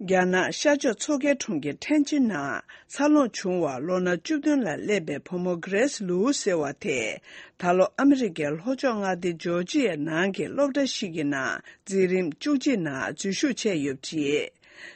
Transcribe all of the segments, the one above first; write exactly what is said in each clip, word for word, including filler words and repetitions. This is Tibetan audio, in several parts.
རྒྱ་ནག་ཤར་ཕྱོགས་མཚོ་ཁའི་གྲོང་ཁྱེར་ཐེན་ཅིན་ནང་འཚར་ལོངས་བྱུང་བ་ལོ་ན་བཅུ་བདུན་ལ་སླེབས་པའི་བུ་མོ་གྷི་རེས་ལུའུ་ཟེར་བ་དེས། ད་ལོ་ཨ་མི་རི་ཀའི་ལྷོ་ཕྱོགས་མངའ་སྡེ་ཇོར་ཇི་ཡའི་ནང་གི་སློབ་གྲྭ་ཞིག་གི་ནང་འཛིན་རིམ་བཅུ་གཅིག་ནང་འཛུལ་ཞུགས་བྱས་ཡོད་པ་རེད།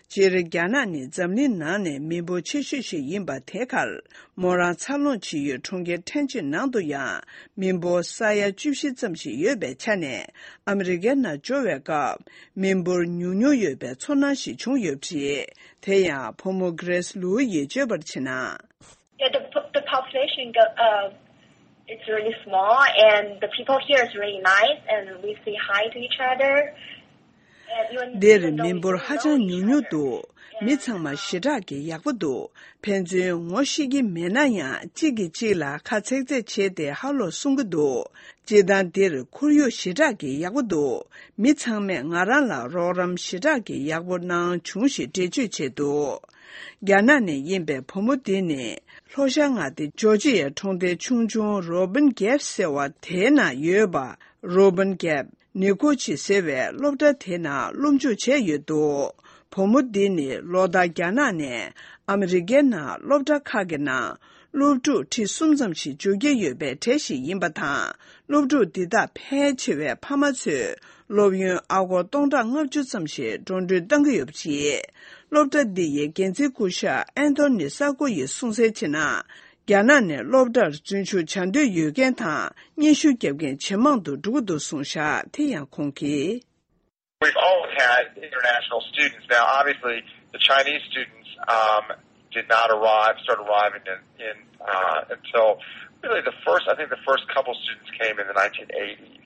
སྤྱིར་རྒྱ་ནག་ནི་འཛམ་གླིང་ནང་ནས་མི་འབོར་ཆེ་ཤོས་ཤིག་ཡིན་པ་དེ་ཁར། མོ་རང་འཚར་ལོངས་བྱེད་ཡུལ་གྲོང་ཁྱེར་ཐེན་ཅིན་ནང་དུ་ཡང་མི་འབོར་ས་ཡ་བཅུ་བཞི་ཙམ་ཞིག་ཡོད་པའི་ཆ་ནས། ཨ་མི་རི་ཀའི་ནང་འབྱོར་བའི་སྐབས་མི་འབོར་ཉུང་ཉུང་ཡོད་པའི་ཚོར་སྣང་ཞིག་བྱུང་ཡོད་པ་རེད། དེ་ཡང་བུ་མོ་གྷི་རེས་ལུའུ་ཡིས་བརྗོད་པར་བྱས་ན། Yeah, the po- the population go, uh, it's really small, and the people here is really nice, and we say hi to each other. And even འདིར་even though མི་we འབོར་don't ཧ་know ཅང་each ཉུང་ཉུང་འདུག other, མི yeah, ཚང་མ་um, ཞེ་དྲག་གི་ཡག་པོ་འདུག་ཕན་ཚུན་ངོ་ཤེས་ཀྱི་མེད་ན་ཡང་གཅིག་གིས་གཅིག་ལ་ཁ་ཚེག་ཚེག་བྱས་ཏེ་ཧ་ལོ་གསུང་གི་འདུག་སྤྱིར་བཏང་འདིར་ཁོར་ཡུག་ཞེ་དྲག་གི་ཡག་པོ་འདུག་མི་ཚང་མས་ང་རང་ལ་རོགས་རམ་ཞེ་དྲག་གི་ཡག་པོ་གནང་བྱུང་ཞེས་འགྲེལ་བརྗོད་བྱས་འདུག་རྒྱ་ནག་ནས་ཡིན་པའི་བུ་མོ་འདི་ནི་ལྷོ་ཤར་མངའ་སྡེ་ཇོར་ཇི་ཡའི་གྲོང་སྡེ་ཆུང་ཆུང་རོ་བིན་གྷེབ་ཟེར་བ་དེའི་ནང་ཡོད་པ། རོ་བིན་གྷེབ་ནི་ཀོ་ཆི་ཟེར་བའི་སློབ་གྲྭ་དེའི་ནང་སློབ་འཇུག་བྱས་ཡོད་འདུག་བུ་མོ་འདི་ནི་ལོ་ལྟར་རྒྱ་ནག་ནས་ཨ་མི་རི་ཀའི་ནང་སློབ་གྲྭ་ཁག་གི་ནང་སློབ་ཕྲུག་ཁྲི་གསུམ་ཙམ་ཞིག་འཇུག་གི་ཡོད་པའི་གྲས་ཤིག་ཡིན་པ་དང་། སློབ་ཕྲུག་འདི་དག་ཕལ་ཆེ་བའི་ཕ་མ་ཚོས་སློབ་ཡོན་ཨ་སྒོར་སྟོང་ཕྲག་ལྔ་བཅུ་ཙམ་ཞིག་འགྲོ་གྲོན་གཏང་གི་ཡོད་པ་རེད། སློབ་གྲྭ་འདི་ཡི་འགན་འཛིན་སྐུ་ཞབས་ཨན་ཐོ་ནི་ས་ཀོ་ཡིས་གསུངས་གསལ་བྱས་ན། རྒྱ་ནག་ནས་སློབ་གྲྭར་འཛུལ་ཞུགས་བྱ་འདོད་ཡོད་མཁན་དང་སྙན་ཞུ་བརྒྱབ་མཁན་ཇེ་མང་དུ་འགྲོ་གི་འདུག་གསུངས་བཞག་དེ་ཡང་ཁོང་གིས། We've always had international students. Now, obviously, the Chinese students um, did not arrive, start arriving in, in uh, until really the first, I think the first couple students came in the nineteen eighties,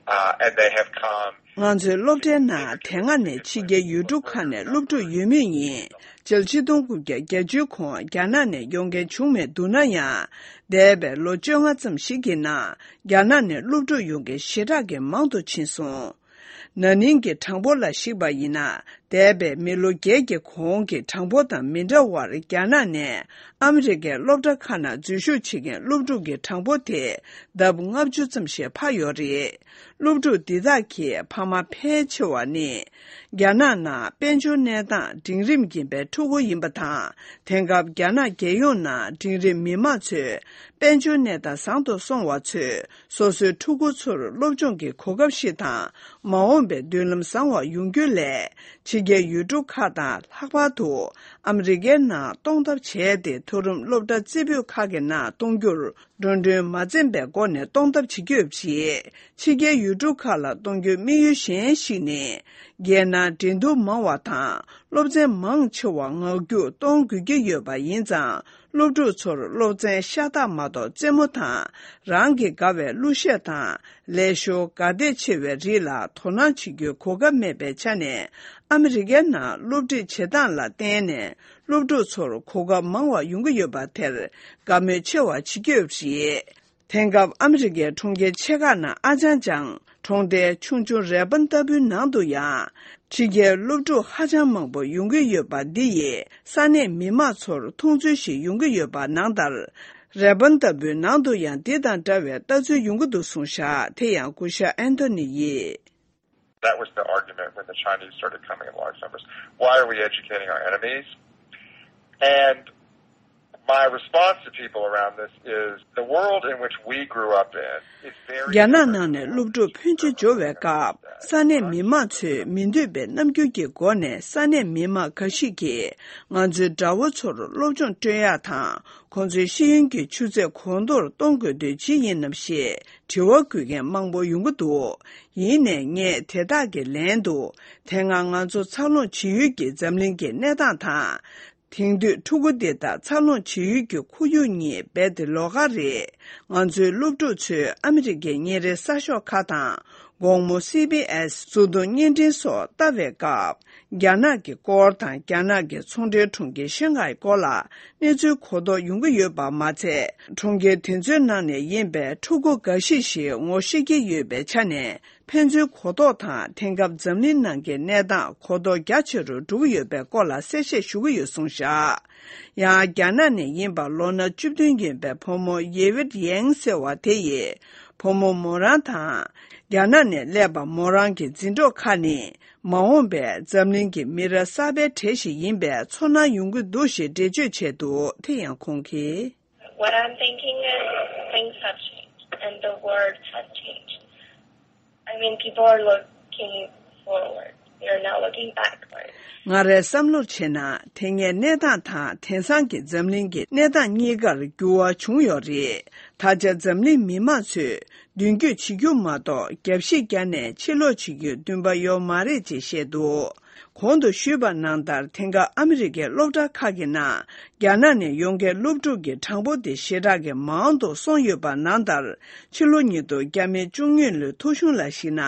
uh, and they have come. ང་ཚོའི་སློབ་གྲྭའི་ནང་དེ་སྔ་ནས་ཕྱི་རྒྱལ་ཡུལ་གྲུ་ཁག་ནས་སློབ་ཕྲུག་ཡོད་མུས་ཡིན། སྤྱི་ལོ་ཆིག་སྟོང་དགུ་བརྒྱ་བརྒྱད་ཅུའི་གོང་རྒྱ་ནག་ནས་ཡོང་མཁན་བྱུང་མེད་འདུག་ན་ཡང་། འདས་པའི་ལོ་བཅོ་ལྔ་ཙམ་ཞིག་གི་ནང་རྒྱ་ནག་ནས་སློབ་ཕྲུག་ཡོང་མཁན་ཞེ་དྲག་གི་མང་དུ་ཕྱིན་སོང་། ན་ནིང་གི་གྲངས་འབོར་ལ་གཞིགས་པ་ཡིན་ན། འདས་པའི་མི་ལོ་བརྒྱད་ཀྱི་གོང་གི་གྲངས་འབོར་དང་མི་འདྲ་བར། རྒྱ་ནག་ནས་ཨ་མི་རི་ཀའི་སློབ་གྲྭ་ཁག་ནང་འཛུལ་ཞུགས་བྱེད་མཁན་སློབ་ཕྲུག་གི་གྲངས་འབོར་དེ་ལྡབ་ལྔ་བཅུ་ཙམ་ཞིག་འཕར་ཡོད་རེད། སློབ་ཕྲུག་འདི་དག་གི་ཕ་མ་ཕལ་ཆེ་བ་ནི། རྒྱ་ནག་ནང་དཔལ་འབྱོར་གནས་སྟངས་འབྲིང་རིམ་ཡིན་པའི་ཕྲུ་གུ་ཡིན་པ་དང་། དེང་སྐབས་རྒྱ་ནག་རྒྱལ་ཡོངས་ནང་འབྲིང་རིམ་མི་མང་ཚོས་དཔལ་འབྱོར་གནས་སྟངས་བཟང་དུ་སོང་བ་ཚོས། སོ་སོའི་ཕྲུ་གུ་ཚོར་སློབ་སྦྱོང་གི་གོ་སྐབས་ཤིག་དང་། མ་འོངས་པའི་མདུན་ལམ་བཟང་བ་ཡོང་རྒྱུ་སླད། ཕྱི་རྒྱལ་ཡུལ་གྲུ་ཁག་དང་ལྷག་པར་དུ་ཨ་མི་རི་ཀའི་ནང་གཏོང་ཐབས་བྱས་ཏེ། མཐོ་རིམ་སློབ་གྲྭ་རྩེ་ཕུད་ཁག་གི་ནང་གཏོང་རྒྱུར་འགྲོ་གྲོན་མ་འཛེམས་པའི་སྒོ་ནས་གཏོང་ཐབས་བྱེད་ཀྱི་ཡོད་པ་རེད། ཕྱི་རྒྱལ་ཡུལ་གྲུ་ཁག་ལ་གཏོང་རྒྱུའི་དམིགས་ཡུལ་གཞན་ཞིག་ནི། རྒྱལ་ནང་འགྲན་བསྡུར་མང་བ་དང་སློབ་ཚན་མང་ཆེ་བ་ངག་རྒྱུགས་གཏོང་དགོས་ཀྱི་ཡོད་པ་ཡིན་ཙང་། སློབ་ཕྲུག་ཚོར་སློབ་ཚན་ཤ་སྟག་མ་གཏོགས་རྩེད་མོ་དང་། རང་གི་དགའ་བའི་གླུ་གཞས་དང་། ལས་ཞོར་དགའ་བདེ་ཆེ་བའི་རིགས་ལ་དོ་སྣང་བྱེད་རྒྱུའི་གོ་སྐབས་མེད་པའི་ཆ་ནས། ཨ་མི་རི་ཀའི་ནང་སློབ་ཁྲིད་བྱེད་སྟངས་ལ་བརྟེན་ནས། སློབ་ཕྲུག་ཚོར་གོ་སྐབས་མང་བ་ཡོང་གི་ཡོད་པ་དེར་དགའ་མོས་ཆེ་བ་བྱེད་ཀྱི་ཡོད་པ་རེད། དེང་སྐབས་ཨ་མི་རི་ཀའི་གྲོང་ཁྱེར་ཆེ་ཁག་ནང་ཨ་ཅང་ཅང་གྲོང་རྡལ་ཆུང་ཆུང་རེ་བན་ལྟ་བུའི་ནང་དུ་ཡང་། ཕྱི་རྒྱལ་སློབ་ཕྲུག་ཧ་ཅང་མང་པོ་ཡོང་གི་ཡོད་པ་འདི་ཡིས་ས་གནས་མི་མང་ཚོར་མཐོང་ཚུལ་ཞིག་ཡོང་གི་ཡོད་པ་ནང་ལྟར། རེ་བན་ལྟ་བུའི་ནང་དུ་ཡང་འདི་དང་འདྲ་བའི་ལྟ་ཚུལ་ཡོང་གི་འདུག་གསུངས་བཞག་དེ་ཡང་སྐུ་ཞབས་ཨན་ཐོ་ནི་ཡིས། That was the argument when the Chinese started coming in large numbers. Why are we educating our enemies? And my response to people around this is the world in which we grew up in is very རྒྱ་ནག་ནང་ནས་སློབ་ཕྲུག་ཕོན་ཆེ་འབྱོར་བའི་སྐབས། ས་གནས་མི་མང་ཚོས་མི་འདོད་པའི་རྣམ་འགྱུར་གྱི་སྒོ་ནས་ས་གནས་མི་མང་འགའ་ཞིག་གིས་ང་ཚོའི་དགྲ་བོ་ཚོར་སློབ་སྦྱོང་སྤྲོད་ཡག་དང་། ཁོང་ཚོའི་ཤེས་ཡོན་གྱི་ཆུ་ཚད་གོང་མཐོར་གཏོང་དགོས་དོན་ཅི་ཡིན་ནམ་ཞེས་དྲི་བ་འགོད་མཁན་མང་པོ་ཡོང་གི་འདུག་ཡིན་ནའི་ངས་དེ་དག་གི་ལན་དུ། དེ་སྔ་ང་ཚོ་འཚར་ལོངས་བྱེད་ཡུལ་གྱི་འཛམ་གླིང་གི་གནས་སྟངས་དང་། དེང་དུས་ཕྲུ་གུ་འདི་དག་འཚར་ལོངས་བྱེད་ཡུལ་གྱི་ཁོར་ཡུག་གཉིས་རྦད་དེ་ལོགས་ཀ་རེད། ང་ཚོའི་སློབ་ཕྲུག་ཚོས་ཨ་མི་རི་ཀའི་ཉིན་རེའི་གསར་ཤོག་ཁག་དང་། དགོང་མོ་སི་བི་ཨེས་གཟུགས་མཐོང་བརྙན་འཕྲིན་སོགས་ལྟ་བའི་སྐབས། རྒྱ་ནག་གི་སྐོར་དང་། རྒྱ་ནག་གི་ཚོང་འབྲེལ་གྲོང་ཁྱེར་ཤང་ཧའི་སྐོར་ལ་གནས་ཚུལ་གོ་རྟོགས་ཡོང་གི་ཡོད་པ་མ་ཚད། གྲོང་ཁྱེར་དེ་ཚོའི་ནང་ནས་ཡིན་པའི་ཕྲུ་གུ་འགའ་ཤས་ཤིག་ངོ་ཤེས་ཀྱི་ཡོད་པའི་ཆ་ནས། ཕན་ཚུན་གོ་རྟོགས་དང་། དེང་སྐབས་འཛམ་གླིང་ནང་གི་གནས་སྟངས་གོ་རྟོགས་རྒྱ་ཆེ་རུ་འགྲོ་གི་ཡོད་པའི་སྐོར་ལ་གསལ་བཤད་ཞུ་གི་ཡོད་གསུངས་བཞག་ཡང་རྒྱ་ནག་ནས་ཡིན་པ་ལོ་ན་བཅུ་བདུན་ཡིན་པའི་བུ་མོ་ཡེ་ཝིད་ཡེང་ཟེར་བ་དེ་ཡིས། བུ་མོ་མོ་རང་དང་། རྒྱ་ནག་ནས་སླེབས་པ་མོ་རང་གི་འཛིན་གྲོགས་ཁག་ནི། མ་འོངས་པའི་འཛམ་གླིང་གི་མི་རབས་གསར་པའི་གྲས་ཤིག་ཡིན་པའི་ཚོར་སྣང་ཡོང་གི་འདུག་ཞེས་འགྲེལ་བརྗོད་བྱས་འདུག་དེ་ཡང་ཁོང་གིས། What I'm thinking is things have changed and the world has changed. I mean, people are looking forward. We are now looking backward. ང་རའི་བསམ་བློར་བྱས་ན། དེ་སྔའི་གནས་སྟངས་དང་དེང་སང་གི་འཛམ་གླིང་གི་གནས་སྟངས་གཉིས་ཀར་འགྱུར་བ་བྱུང་ཡོད་རེད། ད་ཆ་འཛམ་གླིང་མི་མང་ཚོས་མདུན་སྐྱོད་བྱེད་རྒྱུ་མ་གཏོགས། རྒྱབ་བཤིག་བརྒྱབ་ནས་ཕྱིར་ལོག་བྱེད་རྒྱུའི་འདུན་པ་ཡོད་མ་རེད་ཅེས་བཤད་འདུག་གོང་དུ་ཞུས་པ་ནང་ལྟར། དེང་སྐབས་ཨ་མི་རི་ཀའི་སློབ་གྲྭ་ཁག་གི་ནང་རྒྱ་ནག་ནས་ཡོང་མཁན་སློབ་ཕྲུག་གི་གྲངས་འབོར་དེ་ཞེ་དྲག་གི་མང་དུ་སོང་ཡོད་པ་ནང་ལྟར། ཕྱི་ལོ་ཉིས་སྟོང་བརྒྱ་མེད་བཅུ་གཉིས་ལོའི་ཐོ་གཞུང་ལ་གཞིགས་ན།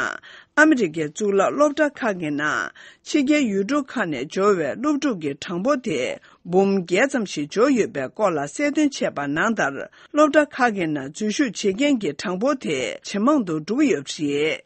ཨ་མི་རི་ཀའི་གཙུག་ལག་སློབ་གྲྭ་ཁག་གི་ནང་ཕྱི་རྒྱལ་ཡུལ་གྲུ་ཁག་ནས་འབྱོར་བའི་སློབ་ཕྲུག་གི་གྲངས་འབོར་དེ་འབུམ་བརྒྱད་ཙམ་ཞིག་འབྱོར་ཡོད་པའི་སྐོར་ལ་གསལ་སྟོན་བྱས་པ་ནང་ལྟར། སློབ་གྲྭ་ཁག་གི་ནང་འཛུལ་ཞུགས་བྱེད་མཁན་གྱི་གྲངས་འབོར་དེ་ཇེ་མང་དུ་འགྲོ་གི་ཡོད་པ་རེད།